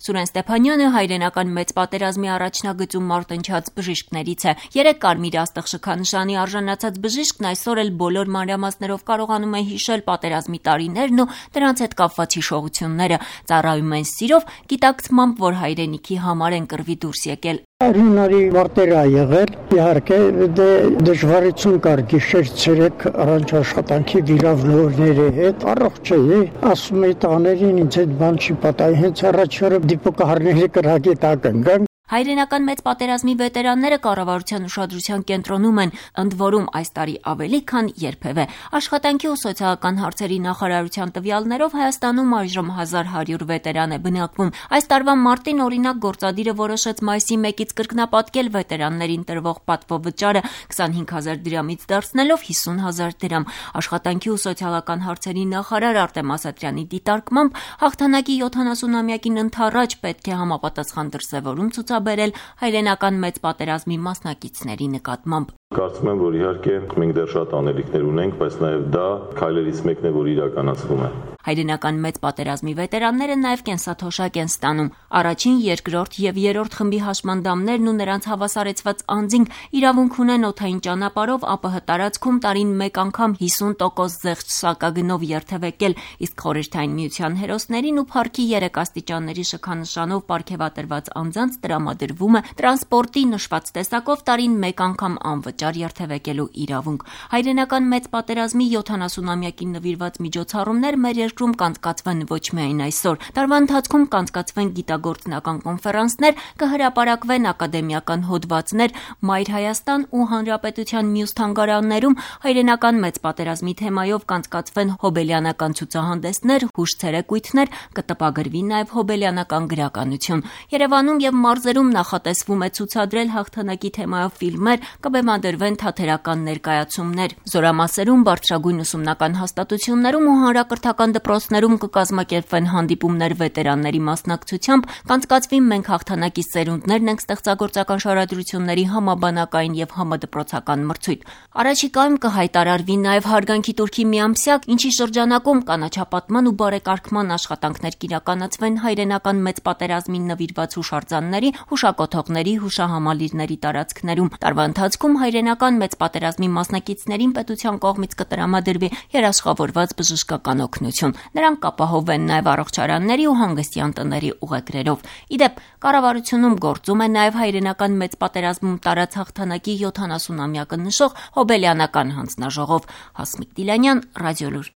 Սուրեն Ստեփանյանը հայրենական մեծ պատերազմի առաջնագծում մարտնչած բժիշկներից է։ 3 կարմիր աստղ շքանշանի արժանացած բժիշկն այսօր էլ բոլոր մանրամասներով կարողանում է հիշել պատերազմի տարիներն ու դրանց հետ կապված հիշողությունները։ Ծառայում են սիրով, գիտակցմամբ, որ հայրենիքի համար են կռվի դուրս եկել։ Հունարի մարտեր ա եղել, իհարկե դժվարություն կար գիշեր ցերեկ առանց աշխատանքի վիրավորների հետ, առողջ էի, ասում էի տաներին ինձ այդ բան չի պատահի, հենց առաջորը դիպուկահարների կրակի տակ ընկան։ Հայրենական մեծ պատերազմի վետերանները կառավարության ուշադրության կենտրոնում են, ընդ որում այս տարի ավելի, քան երբևէ։ Աշխատանքի ու սոցիալական հարցերի նախարարության տվյալներով Հայաստանում այժմ 1100 վետերան է բնակվում։ Այս տարվա մարտին օրինակ գործադիրը որոշեց մայիսի 1-ից կրկնապատկել վետերաններին տրվող պատվովճարը 25000 դրամից դարձնելով 50000 դրամ։ Աշխատանքի ու սոցիալական հարցերի նախարար Արտեմ Ասատրյանի դիտարկմամբ հաղթանակի 70-ամյակին ընդառաջ պետք է համապատասխան դրսևորում ցուցաբերել հայրենական մեծ պատերազմի մասնակիցների նկատմամբ։ Կարծում եմ, որ իհարկե մենք դեռ շատ անելիքներ ունենք, բայց նաև դա քայլերից մեկն է, որ իրականացվում է։ Հայրենական մեծ պատերազմի վետերանները նաև կենսաթոշակ են ստանում։ Առաջին, երկրորդ եւ երրորդ խմբի հաշմանդամներն ու նրանց հավասարեցված անձինք իրավունք ունեն օդային ճանապարհով ԱՊՀ տարածքում տարին մեկ անգամ 50% զեղչ սակագնով երթևեկել, իսկ Խորհրդային Միության հերոսներին ու փառքի 3 աստիճանների շքանշանով պարգևատրված անձանց տրամադրվում է տրանսպորտի նշված տեսակով տարին մեկ անգամ անվճար երթևեկելու իրավունք։ Հայրենական մեծ պատերազմի 70-ամյակին նվիրված միջոցառումներ մեր երկրում կանցկացվեն ոչ միայն այսօր։ Տարվա ընթացքում կանցկացվեն գիտագործնական կոնֆերանսներ, կհրապարակվեն ակադեմիական հոդվածներ Մայր Հայաստան ու Հանրապետության մյուս թանգարաններում, հայրենական մեծ պատերազմի թեմայով կանցկացվեն հոբելյանական ցուցահանդեսներ, հուշցերեկույթներ, կտպագրվի նաև հոբելյանական գրականություն։ Երևանում եւ մարզերում նախատեսվում է ցուցադրել հաղթանակի թեմայով ֆիլմեր, կբեմադրվեն թատերական ներկայացումներ։ Զորամասերում, բարձրագույն ուսումնական հաստատություններում ու հանրակրթական դպրոցներում կկազմակերպվեն հանդիպումներ վետերանների մասնակցությամբ, կանցկացվի «Մենք հաղթանակի սերունդներն ենք» ստեղծագործական շարադրությունների համաբանակային եւ համադպրոցական մրցույթ։ Առաջիկայում կհայտարարվի նաև հարգանքի տուրքի միամսյակ, ինչի շրջանակում կանաչապատման ու բարեկարգման աշխատանքներ կիրականացվեն հայրենական մեծ պատերազմին նվիրված հուշարձանների, հուշակոթողների, հուշահամալիրների տարածքներում։ Տարվա ընթացքում հայրենական մեծ պատերազմի մասնակիցներին պետության կողմից կտրամադրվի երաշխավորված բժշկական օգնություն։ Նրանք կապահովեն նաև առողջարանների ու հանգստյան տների ուղեգրերով։ Իդեպ, կառավարությունում գործում է նաև հայրենական մեծ պատերազմում տարած հաղթանակի 70-ամյակը նշող հոբելյանական հանձնաժողով։ Հասմիկ Դիլանյան, Ռադիոլուր։